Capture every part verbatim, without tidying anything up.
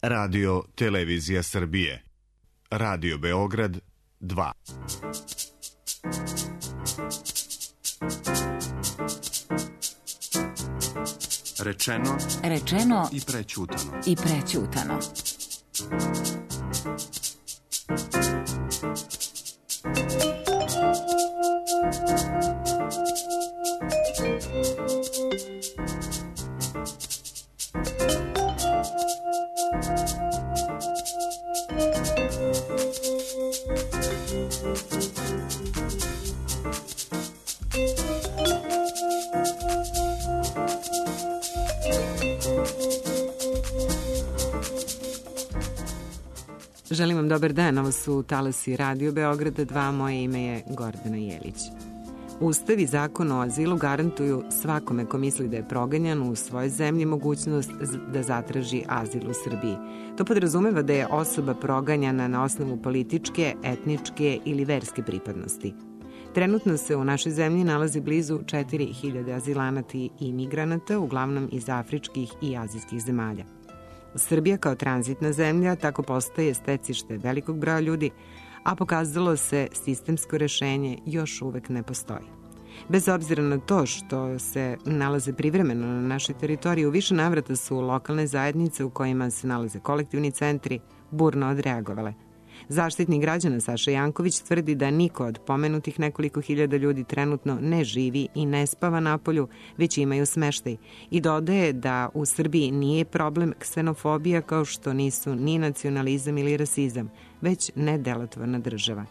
Radio Televizija Srbije. Radio Beograd dva. Rečeno, rečeno i prećutano. I prećutano. Želim vam dobar dan, ovo su talasi Radio Beograda dva, moje ime je Gordana Jelić. Ustav i zakon o azilu garantuju svakome ko misli da je proganjan u svojoj zemlji mogućnost da zatraži azil u Srbiji. To podrazumeva da je osoba proganjana na osnovu političke, etničke ili verske pripadnosti. Trenutno se u našoj zemlji nalazi blizu četiri hiljade azilanata i imigranata, uglavnom iz afričkih i azijskih zemalja. Srbija kao tranzitna zemlja tako postaje stecište velikog broja ljudi, a pokazalo se sistemsko rešenje još uvek ne postoji. Bez obzira na to što se nalaze privremeno na našoj teritoriji, u više navrata su lokalne zajednice u kojima se nalaze kolektivni centri burno odreagovale. Zaštitnik građana Saša Janković tvrdi da niko od pomenutih nekoliko hiljada ljudi trenutno ne živi i ne spava napolju, već imaju smeštaj, i dodaje da u Srbiji nije problem ksenofobija kao što nisu ni nacionalizam ili rasizam, već nedelotvorna država.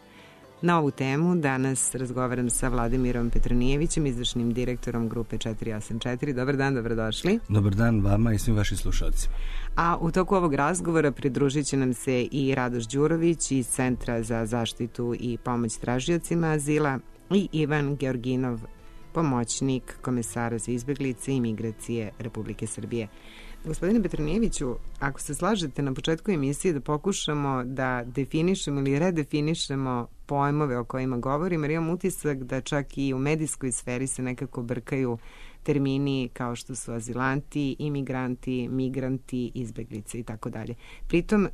Na ovu temu danas razgovaram sa Vladimirom Petronijevićem, izvršnim direktorom grupe četiri osam četiri. Dobar dan, dobrodošli. Dobar dan vama i svim vašim slušalcima. A u toku ovog razgovora pridružit će nam se i Radoš Đurović iz Centra za zaštitu i pomoć tražiocima azila i Ivan Georginov, pomoćnik komesara za izbeglice i migracije Republike Srbije. Gospodine Petronijeviću, ako se slažete na početku emisije da pokušamo da definišemo ili redefinišemo pojmove o kojima govorimo, jer imam utisak da čak i u medijskoj sferi se nekako brkaju termini kao što su azilanti, imigranti, migranti, izbeglice i tako dalje. Pritom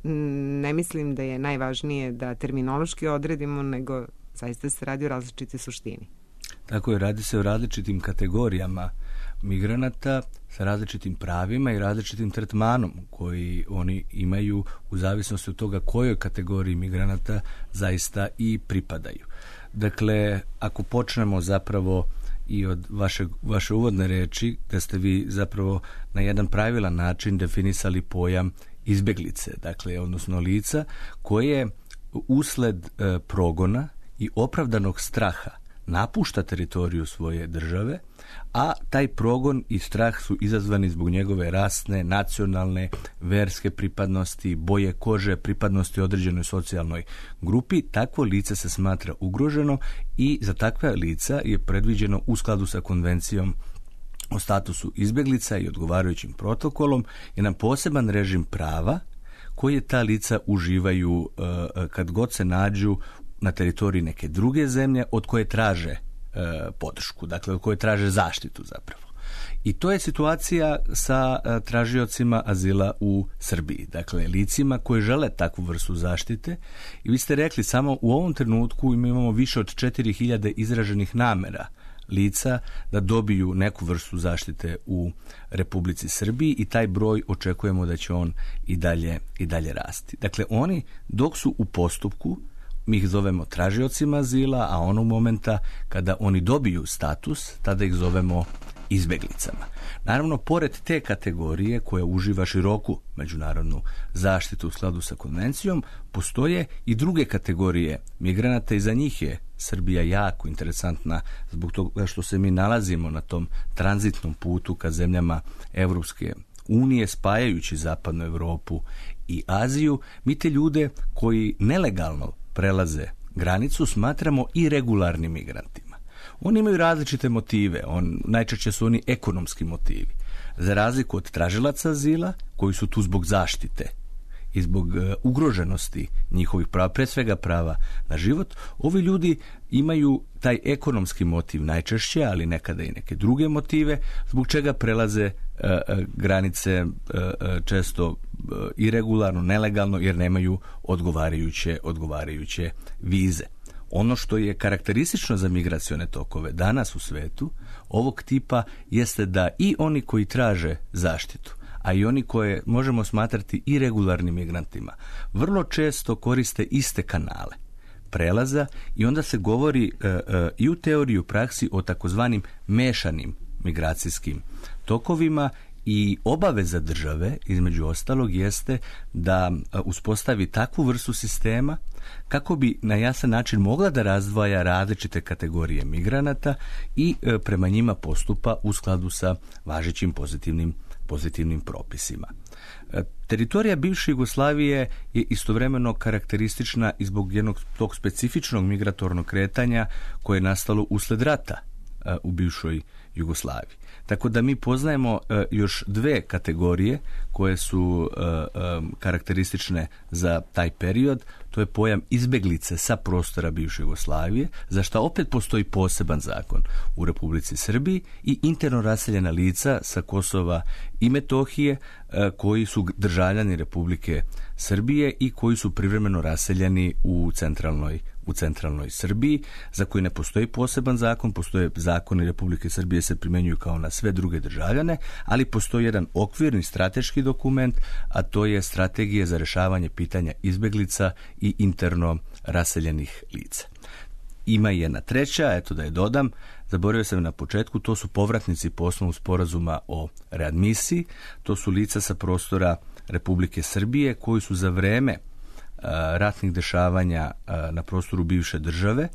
ne mislim da je najvažnije da terminološki odredimo, nego zaista se radi o različitoj suštini. Tako je, radi se o različitim kategorijama migranata sa različitim pravima i različitim tretmanom koji oni imaju u zavisnosti od toga kojoj kategoriji migranata zaista i pripadaju. Dakle, ako počnemo zapravo i od vaše, vaše uvodne reči, da ste vi zapravo na jedan pravilan način definisali pojam izbeglice, dakle, odnosno lica koje usled e, progona i opravdanog straha napušta teritoriju svoje države, a taj progon i strah su izazvani zbog njegove rasne, nacionalne, verske pripadnosti, boje kože, pripadnosti određenoj socijalnoj grupi. Takvo lice se smatra ugroženo i za takva lica je predviđeno u skladu sa konvencijom o statusu izbeglica i odgovarajućim protokolom jedan poseban režim prava koje ta lica uživaju uh, kad god se nađu na teritoriji neke druge zemlje od koje traže e, podršku, dakle od koje traže zaštitu zapravo. I to je situacija sa e, tražiocima azila u Srbiji, dakle licima koji žele takvu vrstu zaštite. I vi ste rekli, samo u ovom trenutku imamo više od četiri hiljade izraženih namera lica da dobiju neku vrstu zaštite u Republici Srbiji i taj broj očekujemo da će on i dalje, i dalje rasti. Dakle, oni dok su u postupku, mi ih zovemo tražiocima azila, a onog momenta kada oni dobiju status, tada ih zovemo izbeglicama. Naravno, pored te kategorije koja uživa široku međunarodnu zaštitu u skladu sa konvencijom, postoje i druge kategorije migranata i za njih je Srbija jako interesantna zbog toga što se mi nalazimo na tom tranzitnom putu ka zemljama Evropske unije, spajajući zapadnu Evropu i Aziju. Mi te ljude koji nelegalno prelaze granicu smatramo i regularnim migrantima. Oni imaju različite motive, on, najčešće su oni ekonomski motivi. Za razliku od tražilaca azila, koji su tu zbog zaštite i zbog uh, ugroženosti njihovih prava, pre svega prava na život, ovi ljudi imaju taj ekonomski motiv najčešće, ali nekada i neke druge motive, zbog čega prelaze granice često iregularno, nelegalno, jer nemaju odgovarajuće, odgovarajuće vize. Ono što je karakteristično za migracione tokove danas u svetu ovog tipa jeste da i oni koji traže zaštitu, a i oni koje možemo smatrati iregularnim migrantima, vrlo često koriste iste kanale prelaza i onda se govori e, e, i u teoriji i u praksi o takozvanim mešanim migracijskim tokovima i obaveza države, između ostalog, jeste da uspostavi takvu vrstu sistema kako bi na jasan način mogla da razdvaja različite kategorije migranata i e, prema njima postupa u skladu sa važećim pozitivnim, pozitivnim propisima. E, teritorija bivše Jugoslavije je istovremeno karakteristična i zbog jednog tog specifičnog migratornog kretanja koje je nastalo usled rata e, u bivšoj Jugoslaviji. Tako da mi poznajemo e, još dve kategorije koje su e, e, karakteristične za taj period. To je pojam izbeglice sa prostora bivše Jugoslavije, za što opet postoji poseban zakon u Republici Srbiji, i interno raseljena lica sa Kosova i Metohije e, koji su državljani Republike Srbije i koji su privremeno raseljeni u centralnoj u centralnoj Srbiji, za koji ne postoji poseban zakon. Postoje zakoni Republike Srbije, se primjenjuju kao na sve druge državljane, ali postoji jedan okvirni strateški dokument, a to je strategija za rješavanje pitanja izbeglica i interno raseljenih lica. Ima i jedna treća, eto da je dodam, zaboravio sam na početku, to su povratnici po osnovu sporazuma o readmisiji. To su lica sa prostora Republike Srbije koji su za vreme ratnih dešavanja na prostoru bivše države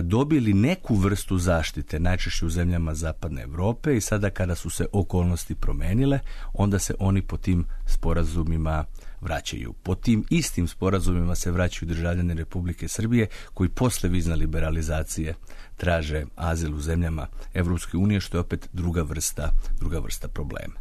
dobili neku vrstu zaštite, najčešće u zemljama zapadne Europe, i sada kada su se okolnosti promenile, onda se oni po tim sporazumima vraćaju. Po tim istim sporazumima se vraćaju državljani Republike Srbije koji posle vizne liberalizacije traže azil u zemljama Evropske unije, što je opet druga vrsta, druga vrsta problema.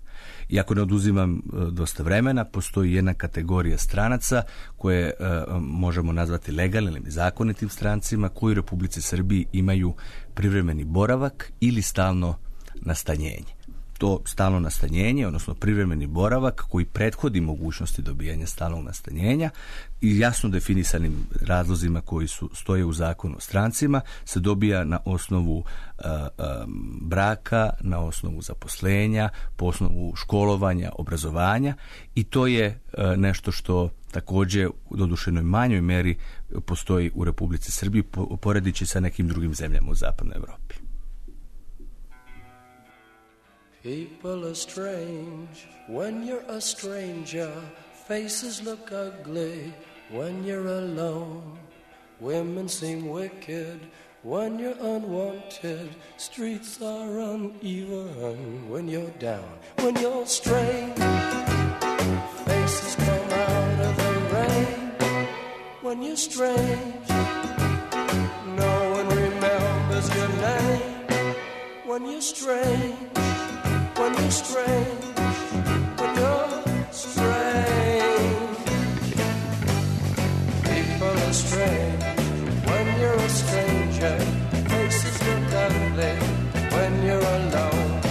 Iako ne oduzimam dosta vremena, postoji jedna kategorija stranaca koje e, možemo nazvati legalnim ili zakonitim strancima, koji u Republici Srbiji imaju privremeni boravak ili stalno nastanjenje. To stalno nastanjenje, odnosno privremeni boravak koji prethodi mogućnosti dobijanja stalnog nastanjenja i jasno definisanim razlozima koji su stoje u zakonu o strancima, se dobija na osnovu uh, um, braka, na osnovu zaposlenja, po osnovu školovanja, obrazovanja, i to je uh, nešto što također u dodušenoj manjoj meri postoji u Republici Srbiji, poredići sa nekim drugim zemljama u zapadnoj Evropi. People are strange when you're a stranger. Faces look ugly when you're alone. Women seem wicked when you're unwanted. Streets are uneven when you're down. When you're strange, faces come out of the rain. When you're strange, no one remembers your name. When you're strange, when you're strange, when you're strange. People are strange when you're a stranger. Faces look ugly when you're alone.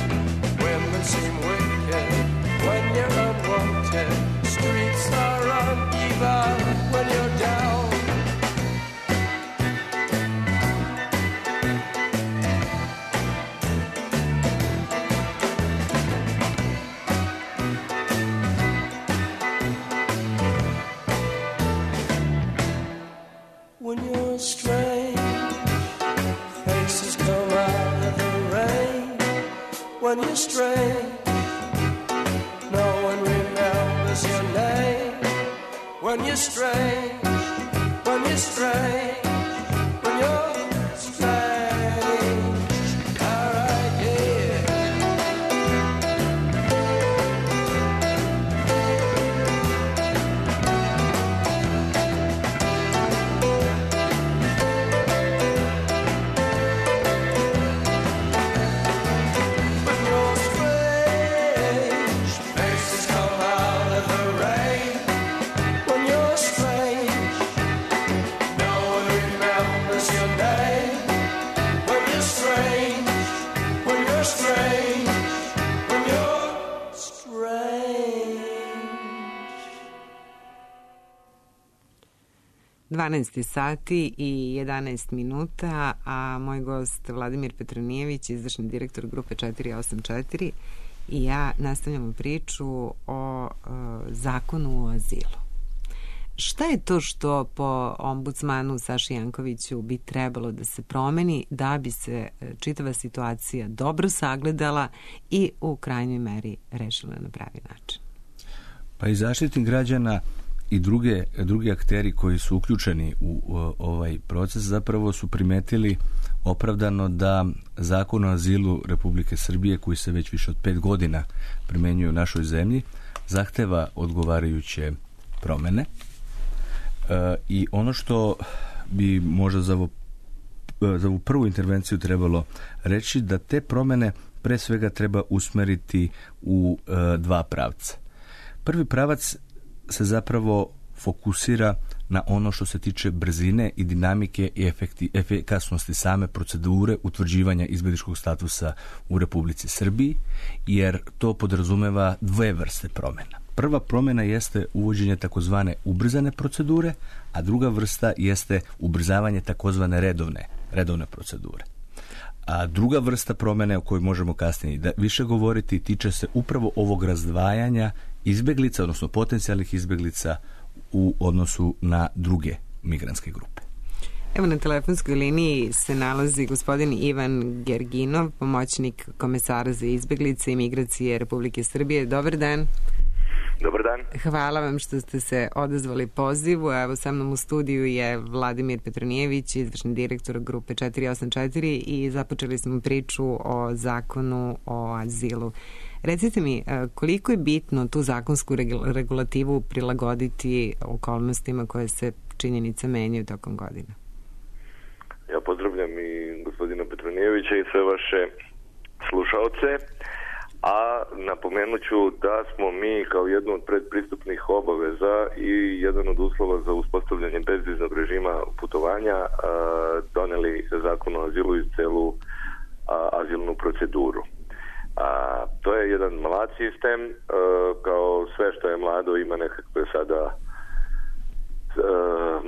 Women seem wicked when you're unwanted. Streets are uneven when you're down. When you're strange, faces come out of the rain. When you're strange, no one remembers your name. When you're strange, when you're strange, when you're strange. All right, yeah. When you're strange, dvanaest sati i jedanaest minuta, a moj gost Vladimir Petronijević, izvršni direktor grupe četiri osam četiri, i ja nastavljamo priču o uh, zakonu o azilu. Šta je to što po ombudsmanu Saši Jankoviću bi trebalo da se promeni da bi se čitava situacija dobro sagledala i u krajnjoj meri rešila na pravi način? Pa i Zaštitnik građana i druge, drugi akteri koji su uključeni u, u ovaj proces zapravo su primetili opravdano da Zakon o azilu Republike Srbije, koji se već više od pet godina primenjuje u našoj zemlji, zahteva odgovarajuće promene. E, I ono što bi možda za ovu, za ovu prvu intervenciju trebalo reći, da te promene pre svega treba usmeriti u e, dva pravca. Prvi pravac se zapravo fokusira na ono što se tiče brzine i dinamike i efekti, efikasnosti same procedure utvrđivanja izbjegličkog statusa u Republici Srbiji, jer to podrazumeva dve vrste promjena. Prva promjena jeste uvođenje takozvane ubrzane procedure, a druga vrsta jeste ubrzavanje takozvane redovne, redovne procedure. A druga vrsta promjene o kojoj možemo kasnije da više govoriti tiče se upravo ovog razdvajanja izbjeglica, odnosno potencijalnih izbjeglica u odnosu na druge migrantske grupe. Evo, na telefonskoj liniji se nalazi gospodin Ivan Gerginov, pomoćnik komesara za izbjeglice i migracije Republike Srbije. Dobar dan. Dobar dan. Hvala vam što ste se odazvali pozivu. Evo, sa mnom u studiju je Vladimir Petronijević, izvršni direktor grupe četiri osam četiri, i započeli smo priču o zakonu o azilu. Recite mi, koliko je bitno tu zakonsku regulativu prilagoditi okolnostima koje se činjenica menjaju tokom godina? Ja pozdravljam i gospodina Petronijevića i sve vaše slušaoce, a napomenut ću da smo mi kao jednu od predpristupnih obaveza i jedan od uslova za uspostavljanje bezviznog režima putovanja doneli zakon o azilu i celu azilnu proceduru. A, to je jedan mlad sistem, e, kao sve što je mlado ima nekakve sada e,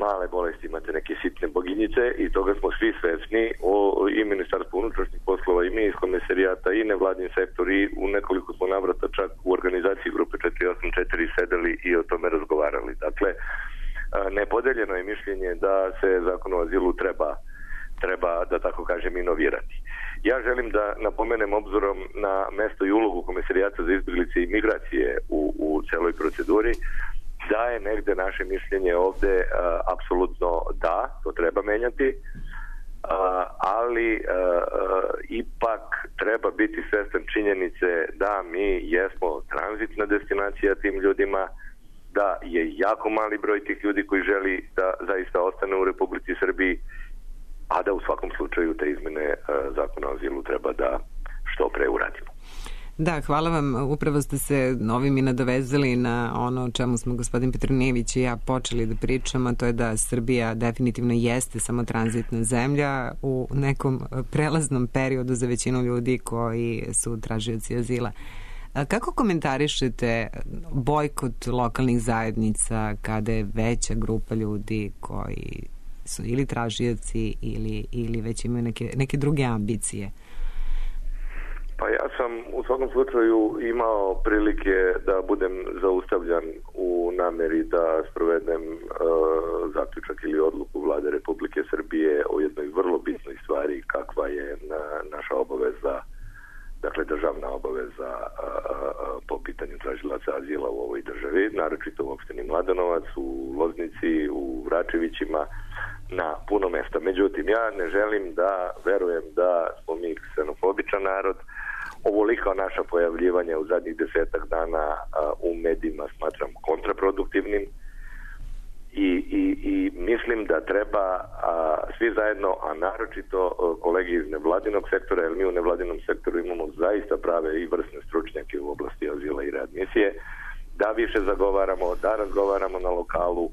male bolesti, imate neke sitne boginjice i toga smo svi svesni, o, i Ministarstvo unutrašnjih poslova i mi iz komisarijata i nevladin sektor, i u nekoliko smo navrata čak u organizaciji grupe četiri osam četiri sedeli i o tome razgovarali. Dakle, e, nepodeljeno je mišljenje da se zakon o azilu treba treba, da tako kažem, inovirati. Ja želim da napomenem, obzirom na mesto i ulogu Komisarijata za izbjeglice i migracije u, u celoj proceduri, da je negde naše mišljenje ovde a, apsolutno da, to treba menjati, a, ali a, a, ipak treba biti svestan činjenice da mi jesmo tranzitna destinacija tim ljudima, da je jako mali broj tih ljudi koji želi da zaista ostane u Republici Srbiji, a da u svakom slučaju te izmene zakona o azilu treba da što pre uradimo. Da, hvala vam. Upravo ste se ovim i nadovezali na ono o čemu smo gospodin Petronijević i ja počeli da pričamo, to je da Srbija definitivno jeste samo tranzitna zemlja u nekom prelaznom periodu za većinu ljudi koji su tražioci azila. Kako komentarišete bojkot lokalnih zajednica kada je veća grupa ljudi koji su ili tražioci ili, ili već imaju neke, neke druge ambicije? Pa ja sam u svakom slučaju imao prilike da budem zaustavljan u nameri da sprovedem uh, zaključak ili odluku Vlade Republike Srbije o jednoj vrlo bitnoj stvari, kakva je na, naša obaveza, dakle državna obaveza uh, po pitanju tražilaca azila u ovoj državi, naročito u opštini Mladenovac, u Loznici, u Vračevićima, na puno mesta. Međutim, ja ne želim da verujem da smo mi ksenofobičan narod. Ovoliko naša pojavljivanja u zadnjih desetak dana a, u medijima smatram kontraproduktivnim i, i, i mislim da treba a, svi zajedno, a naročito a, kolegi iz nevladinog sektora, jer mi u nevladinom sektoru imamo zaista prave i vrsne stručnjake u oblasti azila i readmisije, da više zagovaramo, da razgovaramo na lokalu. Uh,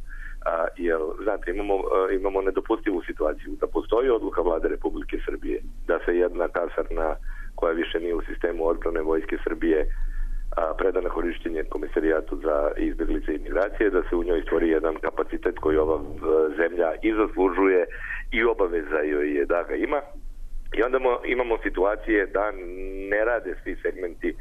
jer, znate, imamo, uh, imamo nedopustivu situaciju da postoji odluka Vlade Republike Srbije da se jedna kasarna koja više nije u sistemu odbrane Vojske Srbije uh, preda na korištenje Komisarijatu za izbjeglice i migracije, da se u njoj stvori jedan kapacitet koji ova zemlja i zaslužuje i obaveza joj je da ga ima. I onda imamo situacije da ne rade svi segmenti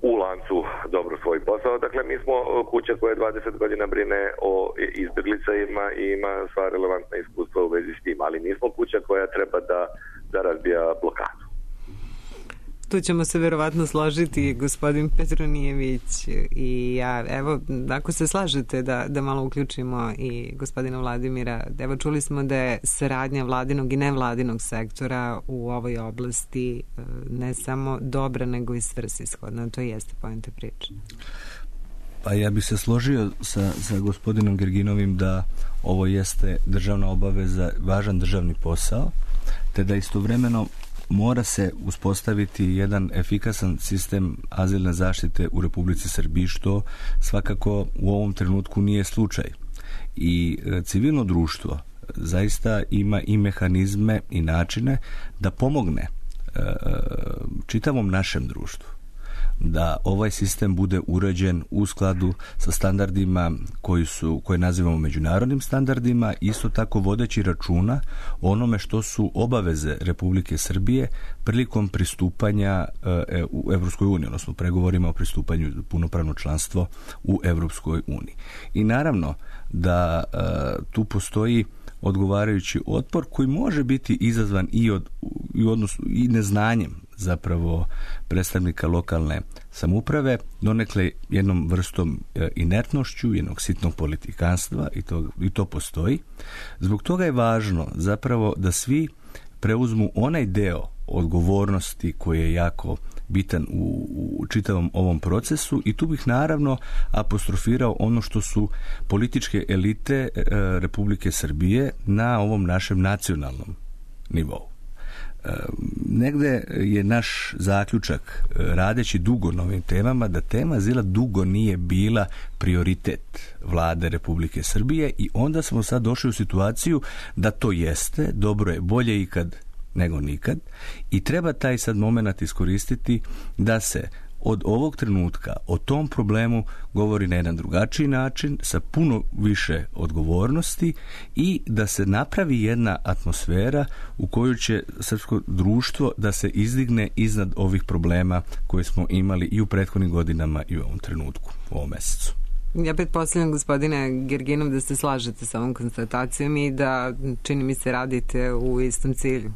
u lancu dobro svoj posao. Dakle, mi smo kuća koja dvadeset godina brine o izbjeglicama i ima sva relevantna iskustva u vezi s tim, ali nismo kuća koja treba da, da razbija blokadu. Tu ćemo se verovatno složiti, gospodin Petronijević i ja. Evo, ako se slažete da, da malo uključimo i gospodina Vladimira, evo čuli smo da je saradnja vladinog i nevladinog sektora u ovoj oblasti ne samo dobra, nego i svrsishodna. To jeste poenta priče. Pa ja bih se složio sa, sa gospodinom Gerginovim da ovo jeste državna obaveza, važan državni posao, te da istovremeno mora se uspostaviti jedan efikasan sistem azilne zaštite u Republici Srbiji, što svakako u ovom trenutku nije slučaj. I civilno društvo zaista ima i mehanizme i načine da pomogne čitavom našem društvu da ovaj sistem bude uređen u skladu sa standardima koji su, koje nazivamo međunarodnim standardima, isto tako vodeći računa o onome što su obaveze Republike Srbije prilikom pristupanja e, u Evropskoj uniji, odnosno pregovorima o pristupanju punopravno članstvo u Evropskoj uniji. I naravno da e, tu postoji odgovarajući otpor koji može biti izazvan i od i odnosu i neznanjem zapravo predstavnika lokalne samouprave, donekle jednom vrstom inertnošću, jednog sitnog politikanstva i to, i to postoji. Zbog toga je važno zapravo da svi preuzmu onaj deo odgovornosti koji je jako bitan u, u čitavom ovom procesu i tu bih naravno apostrofirao ono što su političke elite e, Republike Srbije na ovom našem nacionalnom nivou. E, negde je naš zaključak, e, radeći dugo na ovim temama, da tema azila dugo nije bila prioritet vlade Republike Srbije i onda smo sad došli u situaciju da to jeste, dobro je, bolje ikad nego nikad i treba taj sad moment iskoristiti da se od ovog trenutka o tom problemu govori na jedan drugačiji način, sa puno više odgovornosti i da se napravi jedna atmosfera u kojoj će srpsko društvo da se izdigne iznad ovih problema koje smo imali i u prethodnim godinama i u ovom trenutku, u ovom mesecu. Ja pretpostavljam, gospodine Gerginov, da se slažete sa ovom konstatacijom i da, čini mi se, radite u istom cilju.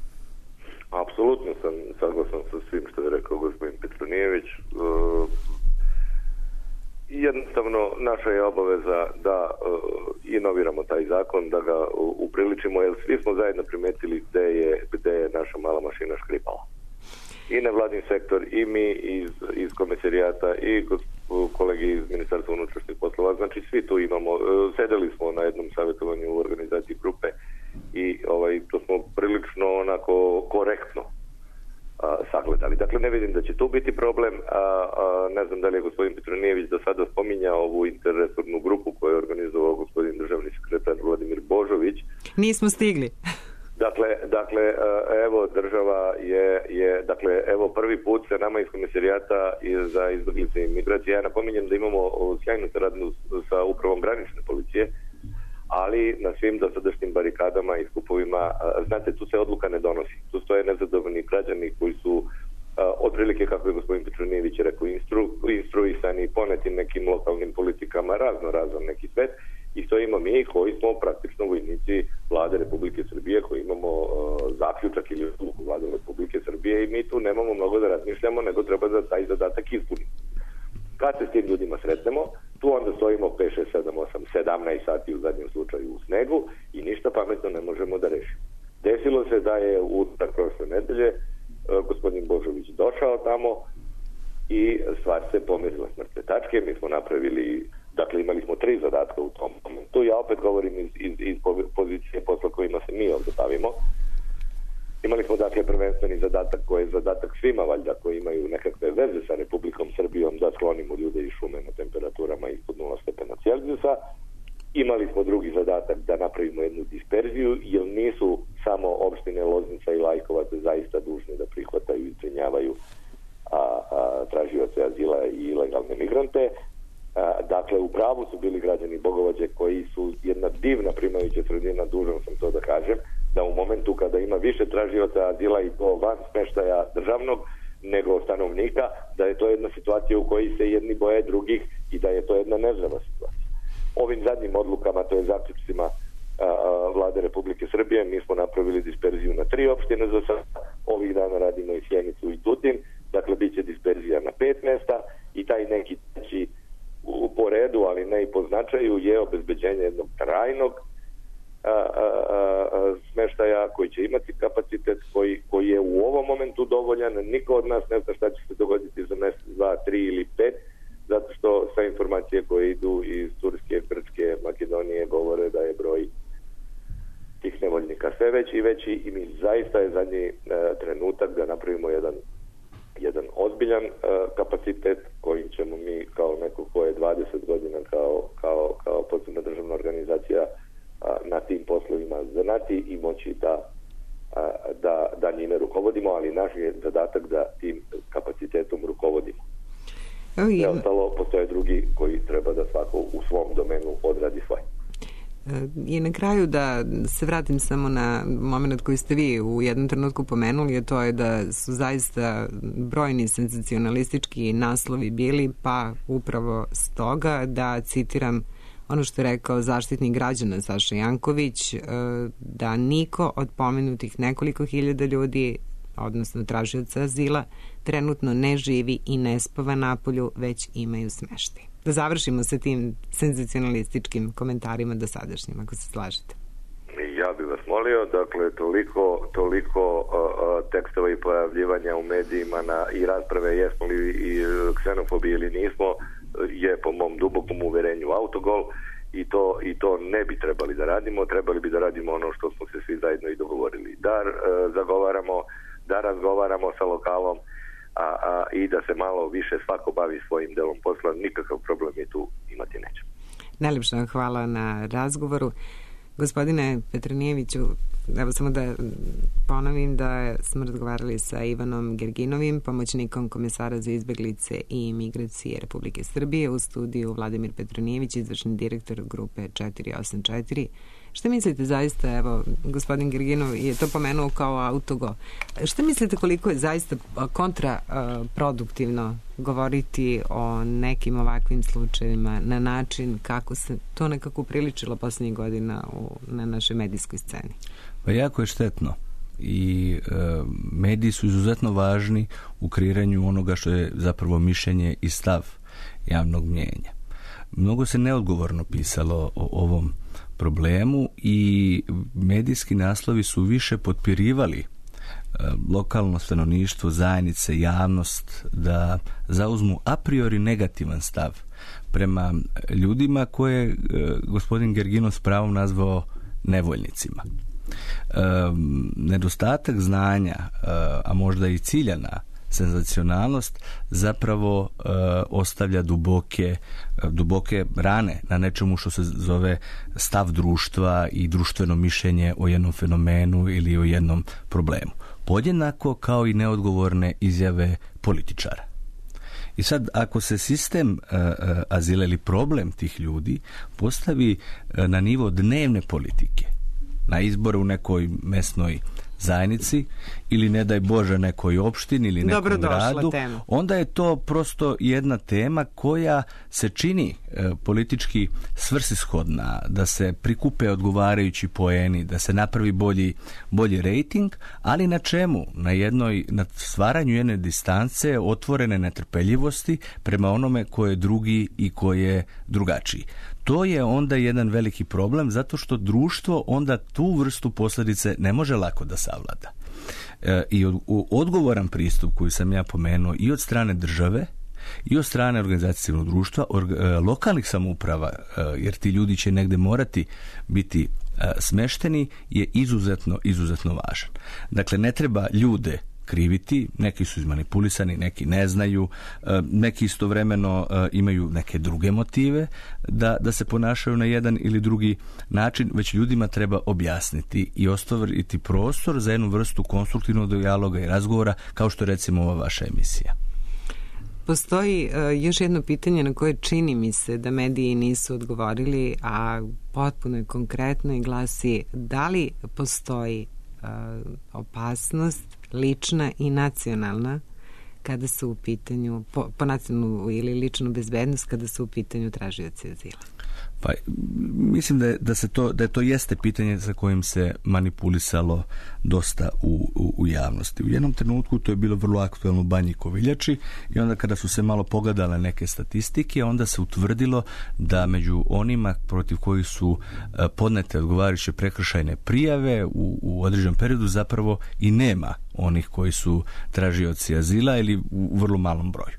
Apsolutno sam saglasan sa svim što je rekao gospodin Petronijević. E, jednostavno, naša je obaveza da e, inoviramo taj zakon, da ga upriličimo, jer svi smo zajedno primetili gde je, gde je naša mala mašina škripala. I nevladin sektor, i mi iz, iz komisarijata, i kolegi iz Ministarstva unutrašnjih poslova. Znači, svi tu imamo. E, sedeli smo na jednom savjetovanju u organizaciji grupe i ovaj, to smo prilično onako korektno a, sagledali. Dakle, ne vidim da će tu biti problem. A, a, ne znam da li je gospodin Petronijević do sada spominjao ovu interresornu grupu koju je organizovao gospodin državni sekretar Vladimir Božović. Nismo stigli. Dakle, dakle, evo država je, je, dakle, evo prvi put se nama iz komisarijata za izbjeglice i migracije. Ja napominjem da imamo sjajnu saradnju sa upravom granične policije, ali na svim dosadašnjim barikadama i skupovima, znate, tu se odluka ne donosi. Tu stoje nezadovoljni građani koji su otprilike, kako je gospodin Petronijević rekao, instru, instruisani poneti nekim lokalnim politikama, razno razan neki svet, i stojimo mi koji smo praktično vojnici vlade Republike Srbije, koji imamo uh, zaključak ili odluku vlade Republike Srbije i mi tu nemamo mnogo da razmišljamo, nego treba da taj zadatak ispunimo. Kad se s tim ljudima sretnemo, tu onda stojimo pet, šest, sedam, osam, sedamnaest sati u zadnjem slučaju u snegu i ništa pametno ne možemo da rešimo. Desilo se da je u utorak prošle nedelje uh, gospodin Božović došao tamo i stvar se pomirila s mrtve tačke. Mi smo napravili, dakle imali smo tri zadatka u tom momentu. Ja opet govorim iz, iz, iz pozicije posla kojima se mi ovdje bavimo. Imali smo dakle prvenstveni zadatak koji je zadatak svima valjda koji imaju nekakve veze sa Republikom Srbijom da sklonimo ljude iz šume na temperaturama ispod nula stepena Celzijusa. Imali smo drugi zadatak da napravimo jednu disperziju, jer nisu samo opštine Loznica i Lajkovac zaista dužni da prihvataju i zbrinjavaju a, a, tražioce azila i ilegalne migrante. A, dakle, u pravu su bili građani Bogovađe koji su jedna divna primajuća sredina, dužan sam to da kažem, da u momentu kada ima više tražioca azila i to van smeštaja državnog nego stanovnika, da je to jedna situacija u kojoj se jedni boje drugih i da je to jedna nezdrava situacija. Ovim zadnjim odlukama, to je zaključcima Vlade Republike Srbije, mi smo napravili disperziju na tri opštine za sad. Ovih dana radimo i Sjenicu i Tutin, dakle bit će disperzija na pet mesta i taj neki treći u poredu, ali ne i po značaju, je obezbeđenje jednog trajnog a, a, a, smeštaja koji će imati kapacitet koji, koji je u ovom momentu dovoljan. Niko od nas ne zna šta će se dogoditi za mjesec, dva, tri ili pet, zato što sve informacije koje idu iz Turske, Grčke, Makedonije govore da je broj tih nevoljnika sve veći i veći i mi zaista je zadnji e, trenutak da napravimo jedan jedan ozbiljan e, kapacitet kojim ćemo mi kao neko ko je dvadeset godina kao, kao, kao posebna državna organizacija a, na tim poslovima znati i moći da, a, da, da njime rukovodimo, ali naš je zadatak da tim kapacitetom rukovodimo. Sve ostalo, postoje drugi koji treba da svako u svom domenu odradi svoj. I na kraju da se vratim samo na moment koji ste vi u jednom trenutku pomenuli, a to je da su zaista brojni senzacionalistički naslovi bili, pa upravo stoga da citiram ono što je rekao zaštitnik građana Saša Janković, da niko od pomenutih nekoliko hiljada ljudi, odnosno tražioca azila, trenutno ne živi i ne spava napolju, već imaju smeštaj. Da završimo sa tim senzacionalističkim komentarima dosadašnjim, ako se slažete. Ja bih vas molio, dakle, toliko, toliko uh, tekstova i pojavljivanja u medijima na, i rasprave jesmo li i ksenofobi ili nismo, je po mom dubokom uverenju autogol i to, i to ne bi trebali da radimo. Trebali bi da radimo ono što smo se svi zajedno i dogovorili. Da uh, zagovaramo, da razgovaramo sa lokalom, A, a, i da se malo više svako bavi svojim delom posla, nikakav problem je tu imati neće. Najlepša hvala na razgovoru. Gospodine Petronijeviću, evo samo da ponovim da smo razgovarali sa Ivanom Gerginovim, pomoćnikom komesara za izbeglice i migracije Republike Srbije, u studiju Vladimir Petronijević, izvršni direktor grupe četiri osam četiri. Šta mislite zaista, evo, gospodin Gerginov je to pomenuo kao autogo, šta mislite koliko je zaista kontraproduktivno govoriti o nekim ovakvim slučajevima na način kako se to nekako upriličilo poslednjih godina u, na našoj medijskoj sceni? Pa jako je štetno i e, mediji su izuzetno važni u kreiranju onoga što je zapravo mišljenje i stav javnog mnjenja. Mnogo se neodgovorno pisalo o ovom problemu i medijski naslovi su više potpirivali e, lokalno stanovništvo, zajednice, javnost da zauzmu a priori negativan stav prema ljudima koje e, gospodin Gerginov s pravom nazvao nevoljnicima. E, nedostatak znanja, e, a možda i ciljana senzacionalnost zapravo e, ostavlja duboke, duboke rane na nečemu što se zove stav društva i društveno mišljenje o jednom fenomenu ili o jednom problemu. Podjednako kao i neodgovorne izjave političara. I sad, ako se sistem e, azila ili problem tih ljudi postavi e, na nivo dnevne politike, na izbore u nekoj mesnoj zajednici ili ne daj Bože nekoj opštini ili nekom Dobro gradu, tema. Onda je to prosto jedna tema koja se čini e, politički svrsishodna, da se prikupe odgovarajući poeni, da se napravi bolji, bolji rejting, ali na čemu? Na jednoj, na stvaranju jedne distance, otvorene netrpeljivosti prema onome ko je drugi i ko je drugačiji. To je onda jedan veliki problem, zato što društvo onda tu vrstu posljedice ne može lako da savlada. E, I od, odgovoran pristup koji sam ja pomenuo i od strane države i od strane organizacije civilnog društva, org, e, lokalnih samouprava, e, jer ti ljudi će negde morati biti e, smešteni, je izuzetno, izuzetno važan. Dakle, ne treba ljude kriviti, neki su izmanipulisani, neki ne znaju, neki istovremeno imaju neke druge motive da, da se ponašaju na jedan ili drugi način, već ljudima treba objasniti i ostaviti prostor za jednu vrstu konstruktivnog dijaloga i razgovora, kao što je recimo ova vaša emisija. Postoji uh, još jedno pitanje na koje čini mi se da mediji nisu odgovorili, a potpuno je konkretno i glasi da li postoji uh, opasnost lična i nacionalna kada su u pitanju, po, po nacionalnu ili ličnu bezbednost kada su u pitanju tražioci azila? Pa mislim da je, da se to da je to jeste pitanje sa kojim se manipulisalo dosta u, u, u javnosti. U jednom trenutku to je bilo vrlo aktuelno u Banji Koviljači i onda kada su se malo pogledale neke statistike, onda se utvrdilo da među onima protiv kojih su podnete odgovarajuće prekršajne prijave u, u određenom periodu zapravo i nema onih koji su tražioci azila ili u vrlo malom broju.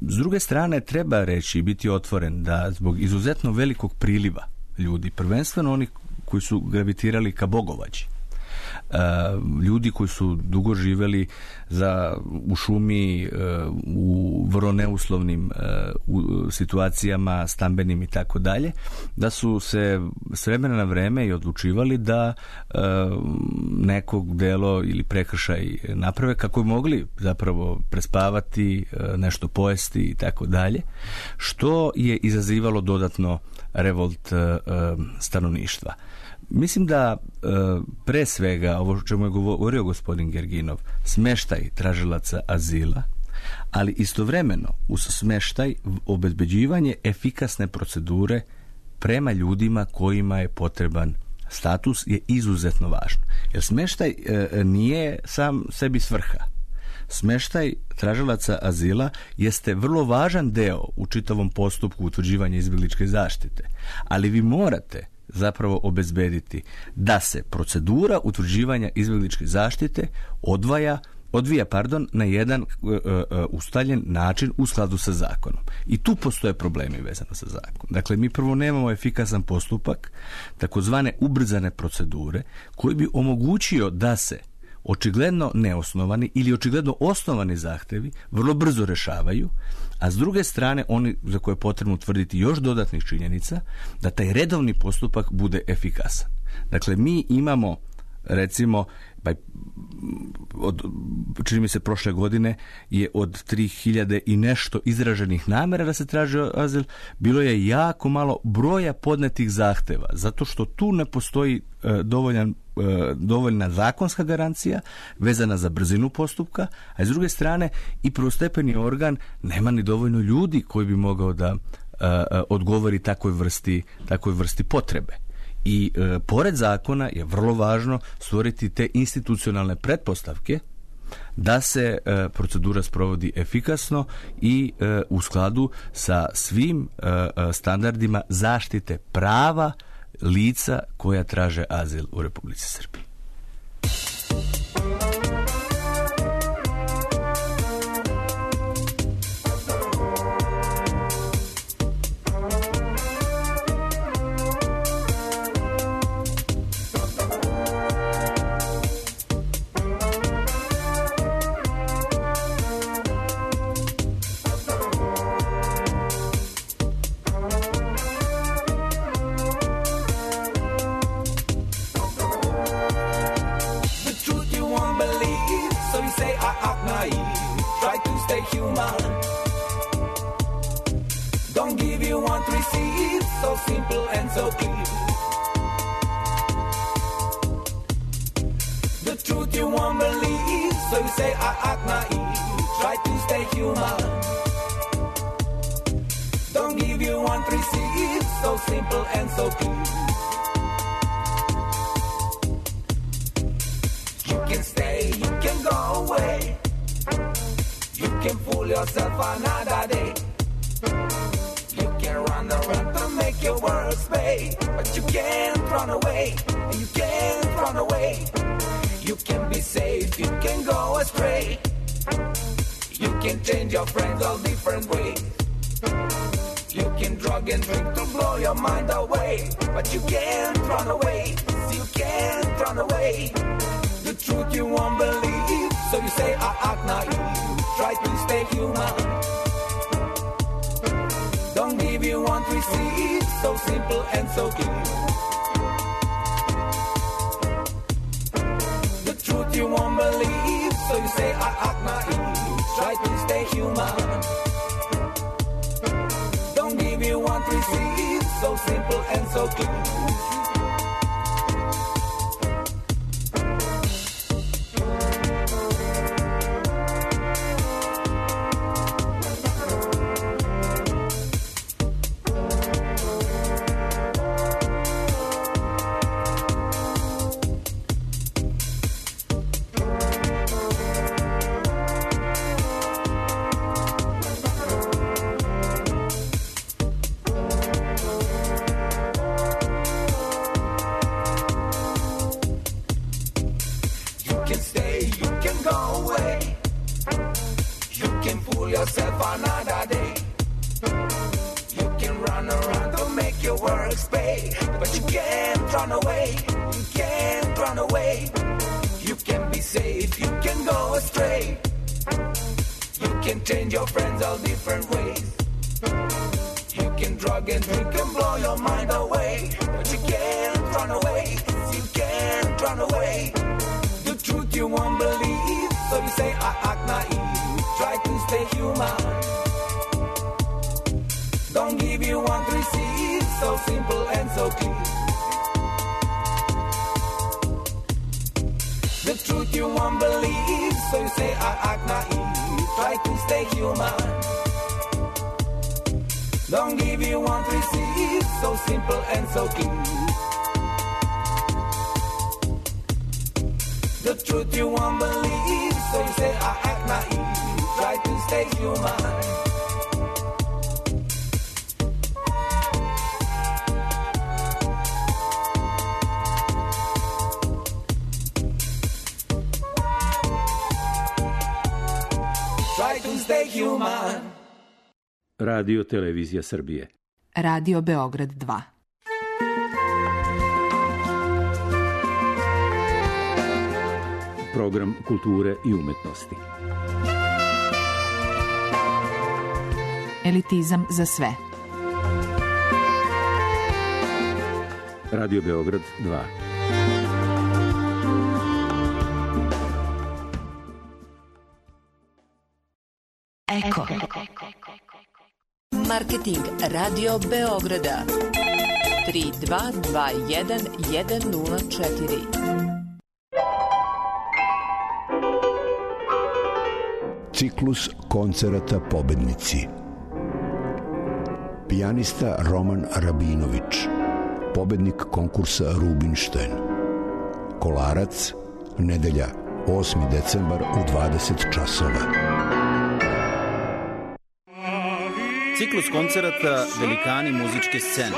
S druge strane, treba reći i biti otvoren da zbog izuzetno velikog priliva ljudi, prvenstveno oni koji su gravitirali ka Bogovađi, ljudi koji su dugo živeli za, u šumi, u vrlo neuslovnim u situacijama, stambenim i tako dalje, da su se s vremena na vreme i odlučivali da nekog delo ili prekršaj naprave kako bi mogli zapravo prespavati, nešto pojesti i tako dalje, što je izazivalo dodatno revolt stanovništva. Mislim da e, pre svega, ovo o čemu je govorio gospodin Gerginov, smeštaj tražilaca azila, ali istovremeno uz smeštaj obezbeđivanje efikasne procedure prema ljudima kojima je potreban status je izuzetno važno. Jer smeštaj e, nije sam sebi svrha. Smeštaj tražilaca azila jeste vrlo važan deo u čitavom postupku utvrđivanja izbjegličke zaštite, ali vi morate zapravo obezbediti da se procedura utvrđivanja izbjegličke zaštite odvaja, odvija pardon, na jedan uh, uh, ustaljen način u skladu sa zakonom. I tu postoje problemi vezano sa zakonom. Dakle, mi prvo nemamo efikasan postupak, takozvane ubrzane procedure, koji bi omogućio da se očigledno neosnovani ili očigledno osnovani zahtevi vrlo brzo rešavaju, a s druge strane oni za koje je potrebno utvrditi još dodatnih činjenica da taj redovni postupak bude efikasan. Dakle, mi imamo recimo pa, od, čini mi se prošle godine je od tri hiljade i nešto izraženih namera da se traži azil, bilo je jako malo broja podnetih zahteva, zato što tu ne postoji e, dovoljan, e, dovoljna zakonska garancija vezana za brzinu postupka, a s druge strane i prvostepeni organ nema ni dovoljno ljudi koji bi mogao da e, odgovori takvoj vrsti, takvoj vrsti potrebe. I e, pored zakona je vrlo važno stvoriti te institucionalne pretpostavke da se e, procedura sprovodi efikasno i e, u skladu sa svim e, standardima zaštite prava lica koja traže azil u Republici Srbiji. Stay human. Don't give you want to receive, so simple and so clean. Radio Televizija Srbije. Radio Beograd dva. Program kulture i umetnosti. Elitizam za sve. Radio Beograd dva. Eko. Marketing Radio Beograda tri dva dva jedan jedan nula četiri. Ciklus koncerata Pobednici. Pijanista Roman Rabinović, pobednik konkursa Rubinštajn. Kolarac, nedelja, osmi decembar u dvadeset časova. Ciklus koncerata Velikani muzičke scene.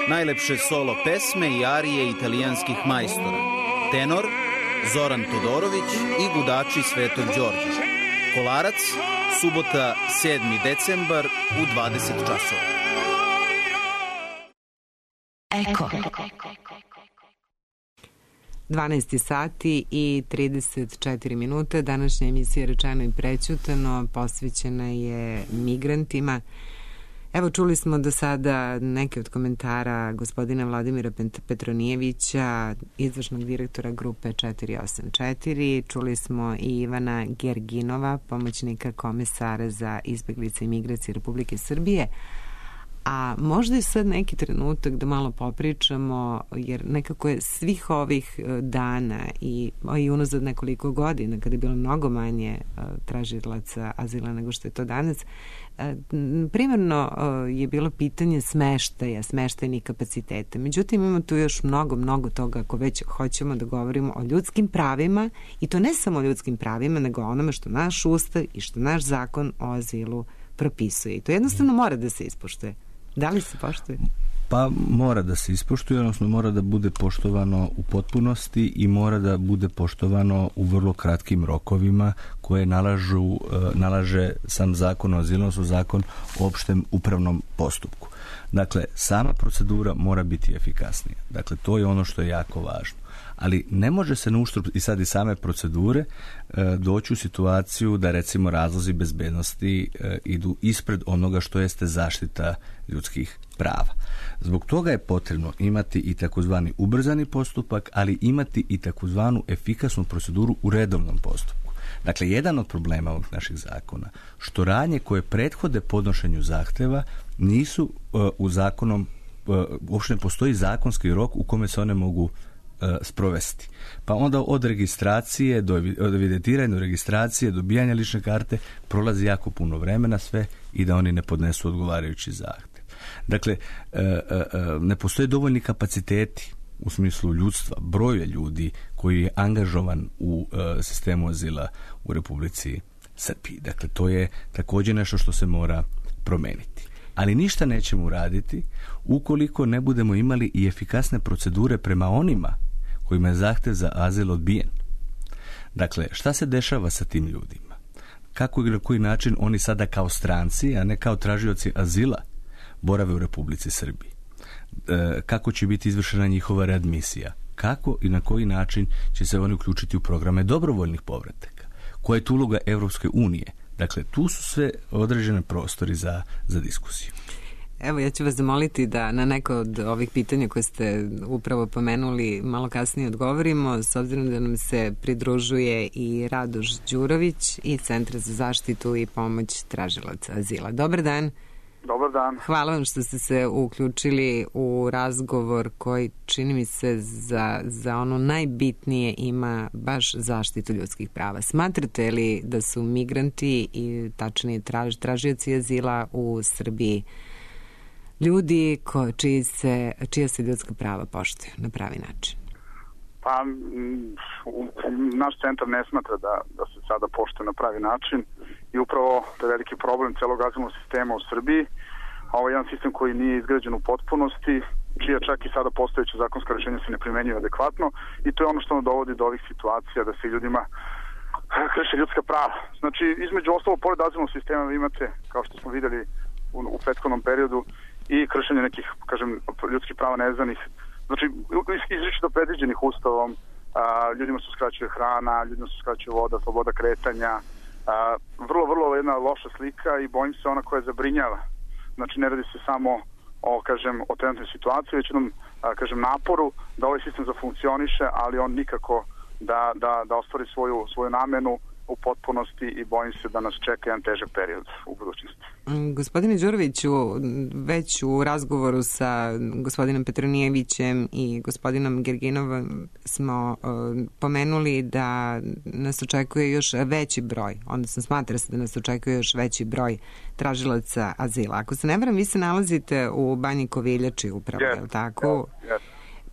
Najlepše solo pesme i arije italijanskih majstora. Tenor Zoran Todorović i gudači Svetog Đorđa. Kolarac, subota sedmi decembar u dvadeset časova. Eko. dvanaest sati i trideset četiri minute. Današnja emisija Rečeno i prećutano posvećena je migrantima. Evo, čuli smo do sada neke od komentara gospodina Vladimira Petronijevića, izvršnog direktora grupe četiri osam četiri. Čuli smo i Ivana Gerginova, pomoćnika komesara za izbeglice i migracije Republike Srbije. A možda je sad neki trenutak da malo popričamo, jer nekako je svih ovih dana i, i unazad nekoliko godina, kada je bilo mnogo manje tražilaca azila nego što je to danas, primarno je bilo pitanje smeštaja, smeštajnih kapaciteta. Međutim, imamo tu još mnogo, mnogo toga ako već hoćemo da govorimo o ljudskim pravima, i to ne samo o ljudskim pravima, nego o onome što naš ustav i što naš zakon o azilu propisuje. I to jednostavno mora da se ispoštuje. Da li se poštuje? Pa mora da se ispoštuje, odnosno mora da bude poštovano u potpunosti i mora da bude poštovano u vrlo kratkim rokovima koje nalažu, nalaže sam zakon o azilu, odnosno zakon o opštem upravnom postupku. Dakle, sama procedura mora biti efikasnija. Dakle, to je ono što je jako važno. Ali ne može se na uštrb i sad i same procedure e, doći u situaciju da recimo razlozi bezbednosti e, idu ispred onoga što jeste zaštita ljudskih prava. Zbog toga je potrebno imati i takozvani ubrzani postupak, ali imati i takozvanu efikasnu proceduru u redovnom postupku. Dakle, jedan od problema ovog naših zakona, što radnje koje prethode podnošenju zahteva nisu uh, u zakonom, uh, uopšte ne postoji zakonski rok u kome se one mogu uh, sprovesti. Pa onda od registracije, do, od evidentiranja do registracije, dobijanja lične karte prolazi jako puno vremena sve i da oni ne podnesu odgovarajući zahtev. Dakle, uh, uh, ne postoje dovoljni kapaciteti u smislu ljudstva, broja ljudi koji je angažovan u uh, sistemu azila u Republici Srbiji. Dakle, to je također nešto što se mora promeniti. Ali ništa nećemo uraditi ukoliko ne budemo imali i efikasne procedure prema onima kojima je zahtev za azil odbijen. Dakle, šta se dešava sa tim ljudima? Kako i na koji način oni sada kao stranci, a ne kao tražioci azila, borave u Republici Srbiji? Kako će biti izvršena njihova readmisija, kako i na koji način će se oni uključiti u programe dobrovoljnih povrataka, koja je tu uloga Evropske unije. Dakle, tu su sve određene prostori za, za diskusiju. Evo, ja ću vas zamoliti da na neko od ovih pitanja koje ste upravo pomenuli malo kasnije odgovorimo, s obzirom da nam se pridružuje i Radoš Đurović iz Centra za zaštitu i pomoć tražilaca azila. Dobar dan. Dobar dan. Hvala vam što ste se uključili u razgovor koji, čini mi se, za, za ono najbitnije ima baš zaštitu ljudskih prava. Smatrate li da su migranti i tačnije traž, tražioci azila u Srbiji ljudi ko, čiji se, čija se ljudska prava poštuju na pravi način? Pa, naš centar ne smatra da, da se sada poštuje na pravi način i upravo to je veliki problem celog azilnog sistema u Srbiji. Ovo je jedan sistem koji nije izgrađen u potpunosti, čija čak i sada postojeće zakonsko rješenje se ne primenjuje adekvatno i to je ono što nam dovodi do ovih situacija da se ljudima krše ljudska prava. Znači, između ostalo, pored azilnog sistema vi imate, kao što smo vidjeli u, u prethodnom periodu, i kršenje nekih, kažem, ljudskih prava neznanih, znači, izričito predviđenih ustavom, a, ljudima se uskraćuje hrana, ljudima se uskraćuje voda, sloboda kretanja, a, vrlo, vrlo jedna loša slika i bojim se ona koja zabrinjava. Znači, ne radi se samo o, kažem, o trenutnoj situaciji, već jednom, a, kažem, naporu da ovaj sistem zafunkcioniše, ali on nikako da, da, da ostvari svoju, svoju namenu u potpunosti i bojim se da nas čeka jedan težak period u budućnosti. Gospodine Đuroviću, već u razgovoru sa gospodinom Petronijevićem i gospodinom Gerginovom smo uh, pomenuli da nas očekuje još veći broj, odnosno smatra se da nas očekuje još veći broj tražilaca azila. Ako se ne varam, vi se nalazite u Banji Koviljači upravo, yes, je li tako? Yes, yes.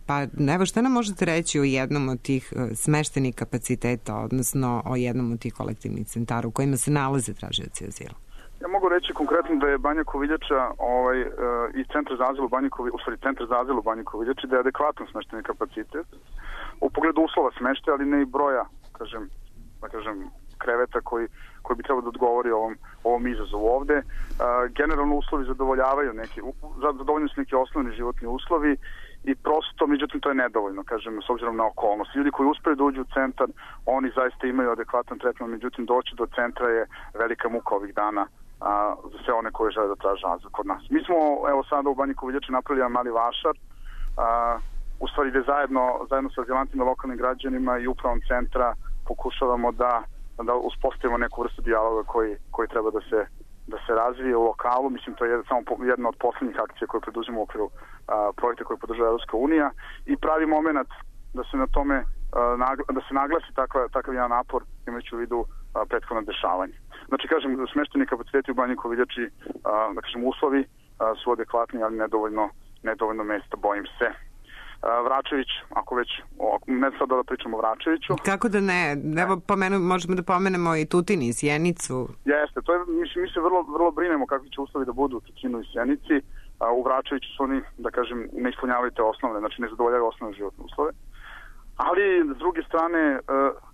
Pa evo, šta nam možete reći o jednom od tih smeštenih kapaciteta, odnosno o jednom od tih kolektivnih centara u kojima se nalaze tražioci azila? Ja mogu reći konkretno da je Banja Koviljača ovaj, uh, i Centar za azil u Banji Koviljači, u stvari Centar za azil u Banji Koviljači, da je adekvatan smešteni kapacitet u pogledu uslova smeštaja, ali ne i broja, kažem, da kažem, kreveta koji, koji bi trebao da odgovori ovom, ovom izazovu ovde. Uh, generalno uslovi zadovoljavaju neki, zadovoljni su neki osnovni životni uslovi i prosto, međutim, to je nedovoljno, kažem, s obzirom na okolnost. Ljudi koji uspeju da uđu u centar, oni zaista imaju adekvatan tretman, međutim, doći do centra je velika muka ovih dana a, za sve one koji žele da traže azil kod nas. Mi smo, evo sada u Banji Koviljači napravili jedan mali vašar, a, u stvari gde zajedno, zajedno sa azilantima, lokalnim građanima i upravom centra pokušavamo da, da uspostavimo neku vrstu dijaloga koji, koji treba da se da se razvije u lokalu. Mislim, to je samo jedna od poslednjih akcija koje preduzimo u okviru a, projekta koje podržava Evropska unija i pravi moment da se na tome a, nagla, da se naglasi takva, takav jedan napor imajući u vidu a, prethodno dešavanje. Znači, kažem, smešteni kapaciteti u Banji Koviljači, a, da kažem, uslovi a, su adekvatni, ali nedovoljno, nedovoljno mesta, bojim se. Vračević, ako već, ne sad da pričamo o Vračeviću. Kako da ne? Evo, pomenu, možemo da pomenemo i Tutin i Sjenicu. Jeste, to je, mi, mi se vrlo, vrlo brinemo kakvi će uslovi da budu u Tutinu i Sjenici. A, u Vračeviću su oni, da kažem, ne ispunjavaju te osnovne, znači ne zadovoljavaju osnovne životne uslove. Ali, s druge strane,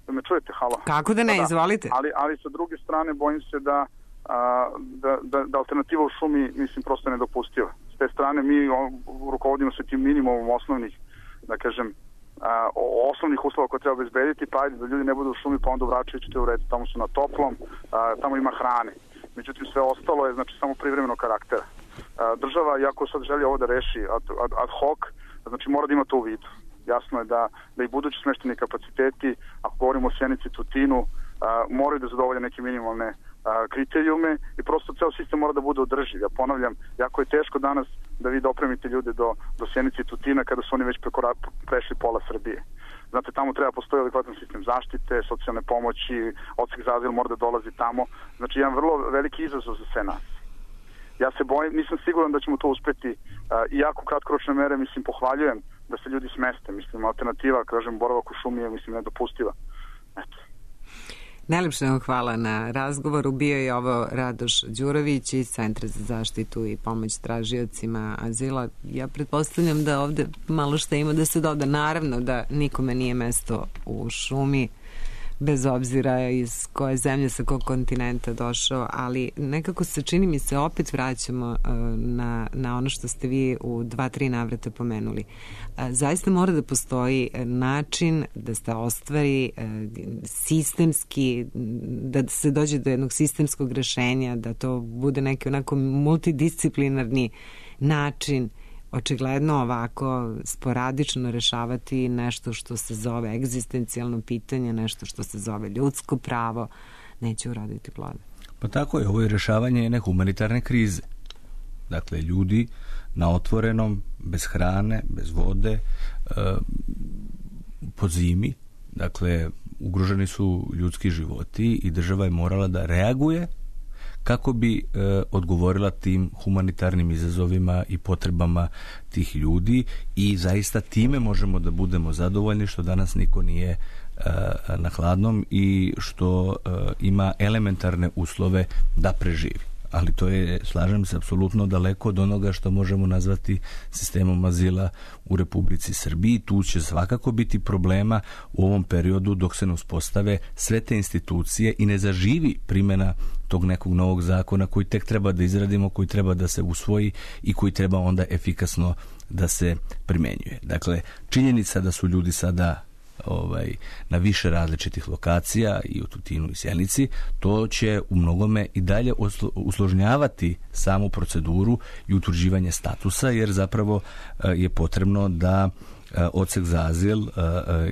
uh, me čujete, halo? Kako da ne, da, izvolite. Ali, ali sa druge strane, bojim se da, a, da, da, da alternativa u šumi, mislim, prosto je nedopustiva. S te strane mi rukovodimo se tim minimumom osnovnih, da kažem, a, osnovnih uslova koje treba obezbediti, pa ajde da ljudi ne budu u šumi, pa onda u Vračeviću te u redu, tamo su na toplom, a, tamo ima hrane. Međutim, sve ostalo je, znači, samo privremeno karaktera. A, država, iako sad želi ovo da reši ad, ad, ad hoc, znači mora da ima to u vidu. Jasno je da, da i budući smešteni kapaciteti, ako govorimo o Sjenici, Tutinu, moraju da zadovolje neke minimalne a, kriterijume i prosto ceo sistem mora da bude održiv. Ja ponavljam, jako je teško danas da vi dopremite ljude do, do Sjenice i Tutina kada su oni već preko, prešli pola Srbije. Znate, tamo treba postoji adekvatan sistem zaštite, socijalne pomoći, odsek za azil mora da dolazi tamo. Znači, jedan vrlo veliki izazov za sve nas. Ja se bojim, nisam siguran da ćemo to uspeti. Iako kratkoročne mere, mislim, pohvaljujem da se ljudi smeste. Mislim, alternativa, kažem, boravak u šumi je, mislim, nedopustiva. Eto. Najlepše vam hvala na razgovoru. Bio je ovo Radoš Đurović iz Centra za zaštitu i pomoć tražiocima azila. Ja pretpostavljam da ovde malo šta ima da se doda. Naravno da nikome nije mesto u šumi, bez obzira iz koje zemlje, sa kog kontinenta došao, ali nekako se čini mi se opet vraćamo uh, na, na ono što ste vi u dva, tri navrata pomenuli. Uh, zaista mora da postoji način da se ostvari uh, sistemski, da se dođe do jednog sistemskog rešenja, da to bude neki onako multidisciplinarni način. Očigledno ovako sporadično rešavati nešto što se zove egzistencijalno pitanje, nešto što se zove ljudsko pravo, neće uroditi plode. Pa tako je, ovo je rešavanje jedne humanitarne krize. Dakle, ljudi na otvorenom, bez hrane, bez vode, po zimi, dakle, ugroženi su ljudski životi i država je morala da reaguje kako bi e, odgovorila tim humanitarnim izazovima i potrebama tih ljudi i zaista time možemo da budemo zadovoljni što danas niko nije e, na hladnom i što e, ima elementarne uslove da preživi. Ali to je, slažem se, apsolutno daleko od onoga što možemo nazvati sistemom azila u Republici Srbiji. Tu će svakako biti problema u ovom periodu dok se ne uspostave sve te institucije i ne zaživi primjena tog nekog novog zakona koji tek treba da izradimo, koji treba da se usvoji i koji treba onda efikasno da se primenjuje. Dakle, činjenica da su ljudi sada ovaj, na više različitih lokacija i u Tutinu i Sjenici, to će u mnogome i dalje usložnjavati samu proceduru i utvrđivanje statusa, jer zapravo je potrebno da odsek za azil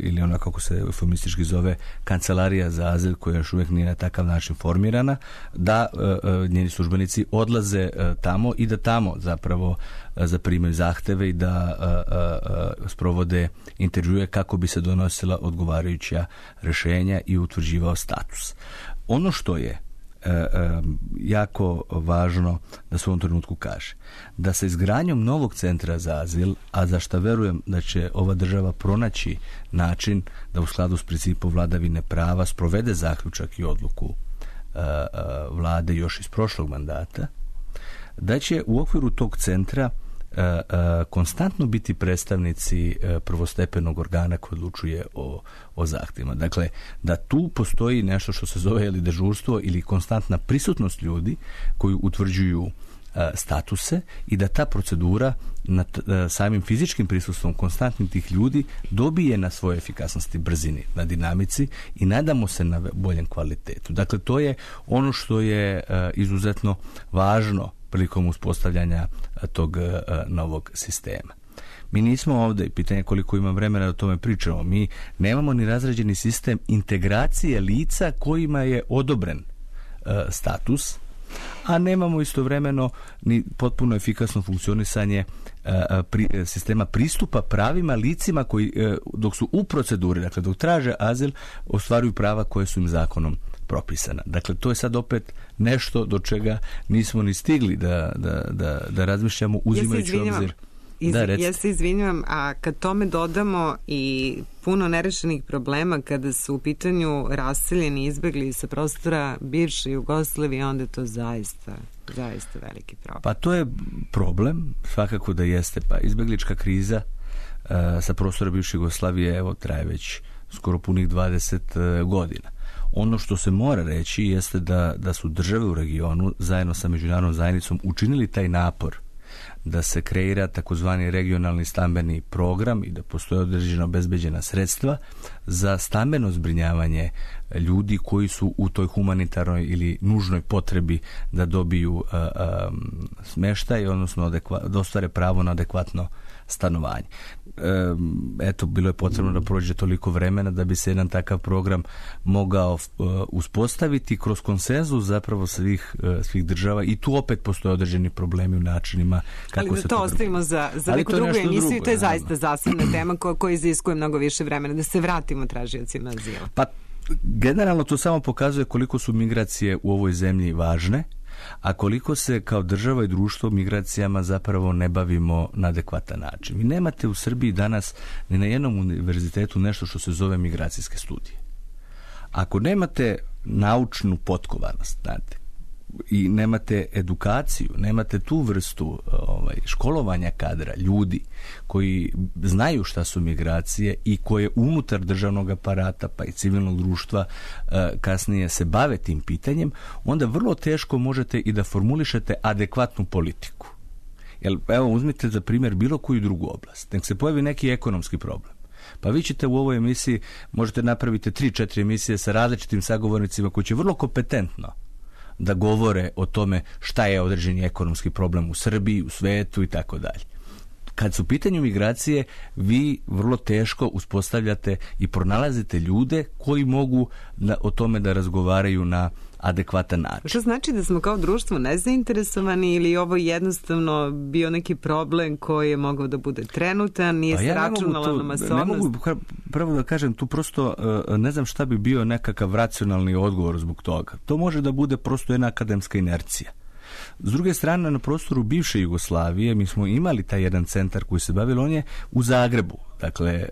ili ona kako se eufemistički zove kancelarija za azil koja još uvijek nije na takav način formirana, da njeni službenici odlaze tamo i da tamo zapravo zaprimaju zahteve i da sprovode intervjue kako bi se donosila odgovarajuća rješenja i utvrđivao status. Ono što je E, e, jako važno da se u ovom trenutku kaže da sa izgradnjom novog centra za azil, a za što verujem da će ova država pronaći način da u skladu s principom vladavine prava sprovede zaključak i odluku e, e, vlade još iz prošlog mandata, da će u okviru tog centra e, e, konstantno biti predstavnici e, prvostepenog organa koji odlučuje o, o zahtjevima. Dakle, da tu postoji nešto što se zove ili dežurstvo ili konstantna prisutnost ljudi koji utvrđuju e, statuse i da ta procedura nad e, samim fizičkim prisustvom konstantnim tih ljudi dobije na svojoj efikasnosti, brzini, na dinamici i nadamo se na boljem kvalitetu. Dakle, to je ono što je e, izuzetno važno prilikom uspostavljanja tog uh, novog sistema. Mi nismo ovdje, pitanje koliko imam vremena da o tome pričamo, mi nemamo ni razrađeni sistem integracije lica kojima je odobren uh, status, a nemamo istovremeno ni potpuno efikasno funkcionisanje uh, pri, sistema pristupa pravima licima koji uh, dok su u proceduri, dakle dok traže azil, ostvaruju prava koje su im zakonom propisana. Dakle, to je sad opet nešto do čega nismo ni stigli da, da, da, da razmišljamo uzimajući ja obzir. Iz, da, ja se izvinjavam, a kad tome dodamo i puno nerešenih problema kada su u pitanju raseljeni, izbegli sa prostora bivše Jugoslavije, onda je to zaista, zaista veliki problem. Pa to je problem, svakako da jeste. Pa izbeglička kriza uh, sa prostora bivše Jugoslavije, evo, traje već skoro punih dvadeset uh, godina. Ono što se mora reći jeste da, da su države u regionu zajedno sa međunarodnom zajednicom učinili taj napor da se kreira takozvani regionalni stambeni program i da postoje određena obezbeđena sredstva za stambeno zbrinjavanje ljudi koji su u toj humanitarnoj ili nužnoj potrebi da dobiju a, a, smeštaj, odnosno adekva, da ostvare pravo na adekvatno stanovanje. Eto, bilo je potrebno da prođe toliko vremena da bi se jedan takav program mogao uspostaviti kroz konsenzus zapravo svih, svih država i tu opet postoje određeni problemi u načinima kako ali da se to to ostavimo za, za neku drugu emisiju drugo, i to je zaista zasebna tema koja, koja iziskuje mnogo više vremena. Da se vratimo tražiocima azila. Pa generalno to samo pokazuje koliko su migracije u ovoj zemlji važne, a koliko se kao država i društvo migracijama zapravo ne bavimo na adekvatan način. Vi nemate u Srbiji danas ni na jednom univerzitetu nešto što se zove migracijske studije. Ako nemate naučnu potkovanost, znate, i nemate edukaciju, nemate tu vrstu ovaj, školovanja kadra, ljudi koji znaju šta su migracije i koje unutar državnog aparata pa i civilnog društva eh, kasnije se bave tim pitanjem, onda vrlo teško možete i da formulišete adekvatnu politiku. Jer, evo, uzmite za primjer bilo koju drugu oblast. Nek se pojavi neki ekonomski problem. Pa vi ćete u ovoj emisiji, možete napraviti tri četiri emisije sa različitim sagovornicima koji će vrlo kompetentno da govore o tome šta je određeni ekonomski problem u Srbiji, u svetu i tako dalje. Kad su u pitanju migracije, vi vrlo teško uspostavljate i pronalazite ljude koji mogu na, o tome da razgovaraju na adekvatan način. Što znači da smo kao društvo nezainteresovani ili ovo jednostavno bio neki problem koji je mogao da bude trenutan, nije se ja računala na masovnost? Ne mogu prvo da kažem, tu prosto ne znam šta bi bio nekakav racionalni odgovor zbog toga. To može da bude prosto jedna akademska inercija. S druge strane, na prostoru bivše Jugoslavije mi smo imali taj jedan centar koji se bavio, on je u Zagrebu. Dakle,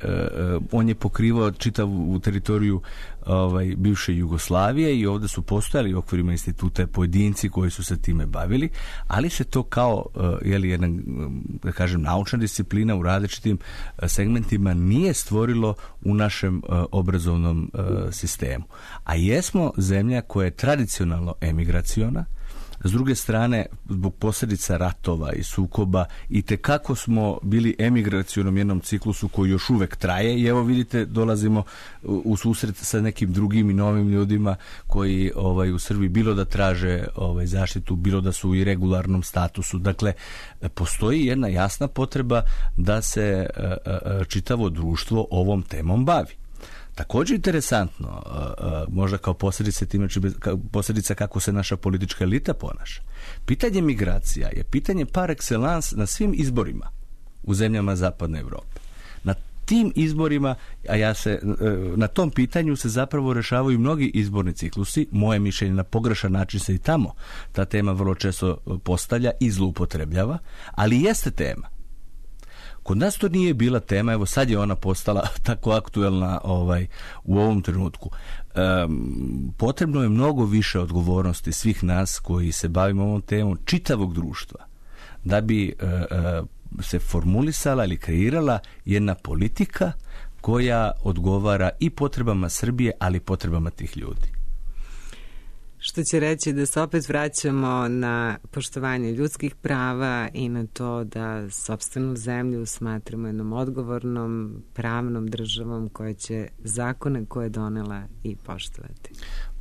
on je pokrivao čitavu teritoriju ovaj, bivše Jugoslavije i ovdje su postojali u okvirima instituta pojedinci koji su se time bavili, ali se to kao jeli, jedna, da kažem, naučna disciplina u različitim segmentima nije stvorilo u našem obrazovnom sistemu. A jesmo zemlja koja je tradicionalno emigraciona. S druge strane, zbog posljedica ratova i sukoba i tekako smo bili emigracionom jednom ciklusu koji još uvek traje i evo vidite, dolazimo u susret sa nekim drugim i novim ljudima koji ovaj, u Srbiji bilo da traže ovaj, zaštitu, bilo da su u irregularnom statusu. Dakle, postoji jedna jasna potreba da se a, a, čitavo društvo ovom temom bavi. Također interesantno, možda kao posljedica time, posljedica kako se naša politička elita ponaša. Pitanje migracija je pitanje par excellence na svim izborima u zemljama Zapadne Evrope. Na tim izborima, a ja se, na tom pitanju se zapravo rešavaju mnogi izborni ciklusi. Moje mišljenje, na pogrešan način se i tamo ta tema vrlo često postavlja i zloupotrebljava, ali jeste tema. Kod nas to nije bila tema, evo sad je ona postala tako aktuelna ovaj, u ovom trenutku. Um, potrebno je mnogo više odgovornosti svih nas koji se bavimo ovom temom, čitavog društva, da bi uh, uh, se formulisala ili kreirala jedna politika koja odgovara i potrebama Srbije, ali i potrebama tih ljudi. Što će reći da se opet vraćamo na poštovanje ljudskih prava i na to da sopstvenu zemlju smatramo jednom odgovornom, pravnom državom koja će zakone koje je donela i poštovati.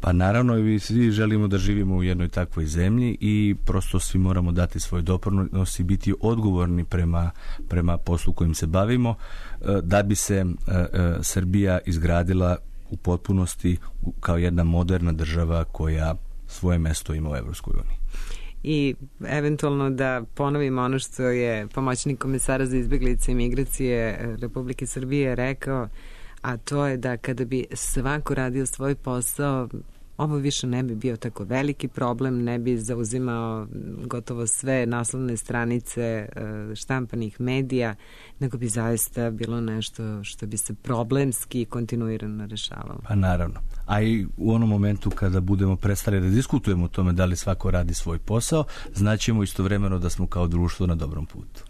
Pa naravno, i svi želimo da živimo u jednoj takvoj zemlji i prosto svi moramo dati svoj doprinos i biti odgovorni prema, prema poslu kojim se bavimo, da bi se Srbija izgradila u potpunosti kao jedna moderna država koja svoje mesto ima u Evropskoj uniji. I eventualno da ponovimo ono što je pomoćnik komesara za izbjeglice i migracije Republike Srbije rekao, a to je da kada bi svako radio svoj posao, ovo više ne bi bio tako veliki problem, ne bi zauzimao gotovo sve naslovne stranice štampanih medija, nego bi zaista bilo nešto što bi se problemski kontinuirano rešavalo. Pa naravno. A i u onom momentu kada budemo prestali da diskutujemo o tome da li svako radi svoj posao, znaćemo istovremeno da smo kao društvo na dobrom putu.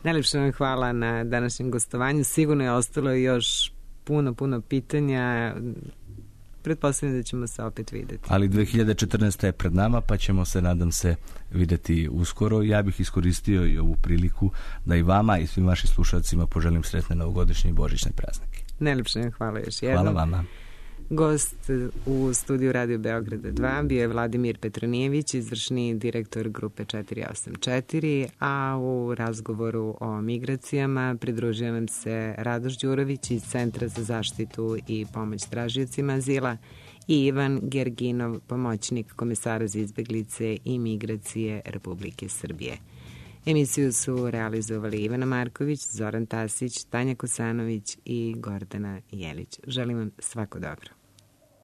Najlepše vam hvala na današnjem gostovanju. Sigurno je ostalo još puno, puno pitanja. Pretpostavljam da ćemo se opet vidjeti. Ali dve hiljade četrnaesta je pred nama, pa ćemo se, nadam se, vidjeti uskoro. Ja bih iskoristio i ovu priliku da i vama i svim vašim slušalcima poželim sretne novogodišnje i božićne praznike. Najlepše vam hvala još jednom. Hvala vama. Gost u studiju Radio Beograda dva bio je Vladimir Petronijević, izvršni direktor grupe četiri osam četiri, a u razgovoru o migracijama pridružio nam se Radoš Đurović iz Centra za zaštitu i pomoć tražiocima azila i Ivan Gerginov, pomoćnik komesara za izbeglice i migracije Republike Srbije. Emisiju su realizovali Ivana Marković, Zoran Tasić, Tanja Kosanović i Gordana Jelić. Želim vam svako dobro.